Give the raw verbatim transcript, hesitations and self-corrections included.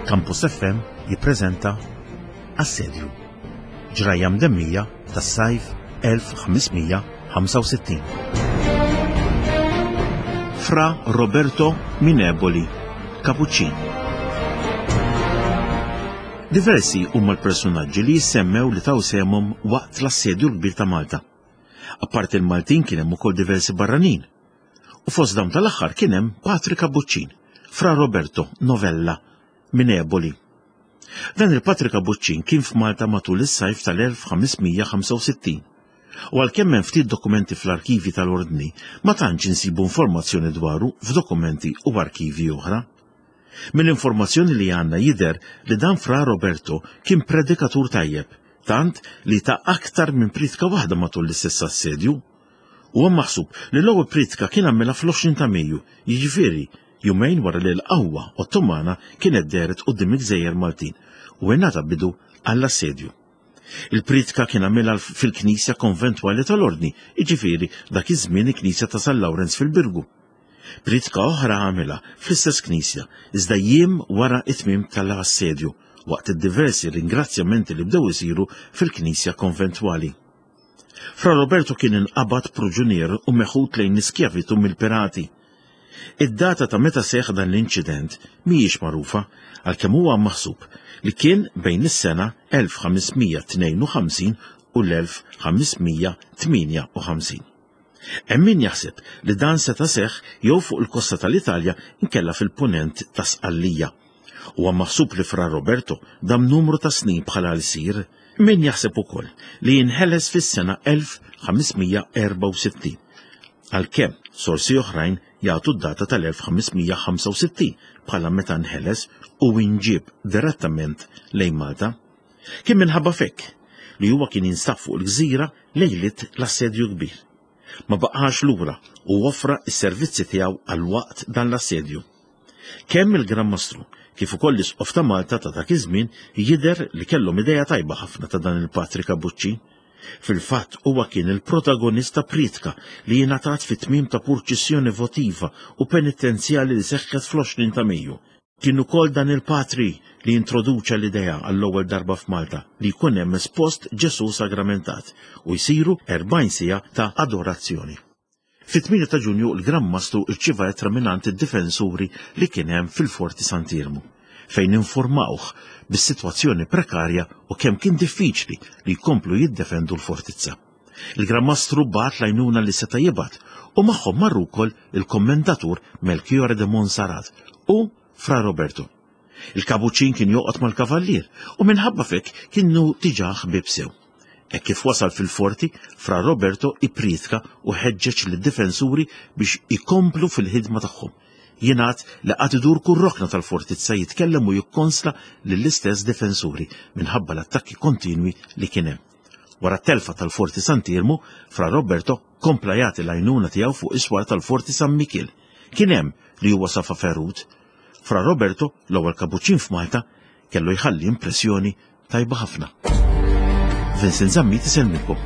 Campus F M jippreżenta Assedju. Ġrajja mdemmija tas-sajf elf u ħames mija u ħamsa u sittin. Fra Roberto Mineboli, Kapuċċin. Diversi huma l-personaġġi li jissemmew li taw sehemhom waqt l-Assedju l-Kbir ta' Malta. Apart il-Maltin, kien hemm ukoll diversi barranin. U fost dawn tal-aħħar kien hemm Patri Kapuċċin, Fra Roberto Novella Mineboli. Dan il-Patri Kapuċċin kien f'Malta matul is-sajf tal-elf u ħames mija u ħamsa u sittin. U għalkemm hemm ftit dokumenti fl-arkivi tal-Ordni, ma tantx insibu informazzjoni dwaru f'dokumenti u arkivi oħra. Mill-informazzjoni li għandna jidher li dan Fra Roberto kien predikatur tajjeb, tant li ta aktar minn pritka waħda matul l-istess assedju. U maħsub li l-ewwel pritka kien għamilha fl-għoxrin ta' Mejju, jiġifieri jumejn wara li l-qawwa Ottomana kienet dehret quddiem il-Gżejjer Maltin u ingħata bidu għall-assedju. Il-pritka kien għamilha fil-Knisja Konventwali tal-Ordni, jiġifieri dak iż-żmien il-Knisja ta' San Lawrenz fil-Birgu. Pritka oħra għamilha fl-istess knisja, iżda jiem wara it-tmiem tal-assedju, waqt id-diversi ringrazzjamenti li bdew isiru fil-Knisja Konventwali. Fra Roberto kien inqabad proġunier u meħud lejn l-iskjavitu mill-pirati. Id-data ta' meta seħ dan l-inċident mhijiex magħrufa, għalkemm huwa maħsub li kien bejn is-sena elf u ħames mija u tnejn u ħamsin u l-elf u ħames mija u tmienja u ħamsin. Hemm min jaħseb li dan seta' seħ jew fuq il-kosta tal-Italja inkella fil-punent ta' Sqallija. Huwa maħsub li Fra Roberto dam numru ta' snin bħala lsir. Min jaħseb ukoll li jinħeles fis-sena elf u ħames mija u erbgħa u sittin. Għalkemm sorsi oħrajn jagħtu d-data tal-elf u ħames mija u ħamsa u sittin bħala meta nħeles u inġib direttament lejn Malta. Kien minħabba f'hekk li huwa kien jinstab fuq il-gżira lejlit l-Assedju Kbir. Ma baqax lura u offra s-servizzi tiegħu għal waqt dan l-assedju. Kemm il-Gran Mastru kif ukoll l-Isqof ta' Malta ta' dak iż-żmien jidher li kellhom idea tajba ħafna ta' dan il-Patri Kabuċċin. Fil-fatt, huwa kien il-protagonista pritka li jingħatat fit-tmiem ta' purċissjoni votiva u penitenzjali li seħħet fl-għoxrin ta' Mejju. Kien ukoll dan il-patri li introduċa l-idea għall-ewwel darba f'Malta li jkun hemm espost Ġesu sagramentat u jsiru erbgħin siegħa ta' adorazzjoni. Fit-tmienja ta' Ġunju l-Gran Mastru rċieva ittra mingħand id-difensuri li kien hemm fil-Forti Sant'Iermu, fejn informawh bis-sitwazzjoni prekarja u kemm kien diffiċli li jkomplu jiddefendu l-fortizza. Il-Gran Mastru bagħat l-għajnuna li seta' jibgħat u magħhom marru wkoll il-Kommendatur Melchiore de Monsarat u Fra Roberto. Il-Kabuċin kien joqgħod mal-kavallier u minħabba f'hekk kienu diġà ħbieb sew. E kif wasal fil-forti, Fra Roberto ipritka u ħeġġeġ lid-difensuri biex ikomplu fil-ħidma tagħhom. Jingħad li qagħad idur kull rokna tal-fortizza jitkellem u jikkonsla lill-istess difensuri minħabba l-attakki kontinwi li kien hemm. Wara telfa tal-Forti Sant'Iermu, Fra Roberto kompla jagħti l-għajnuna tiegħu fuq is-swar tal-Forti San Mikiel. Kien hemm li huwa safa ferut. Fra Roberto, l-ewwel kabuċin f'Malta, kellu jħalli impressjoni tajba ħafna. Vincent Zammit isellmilkom.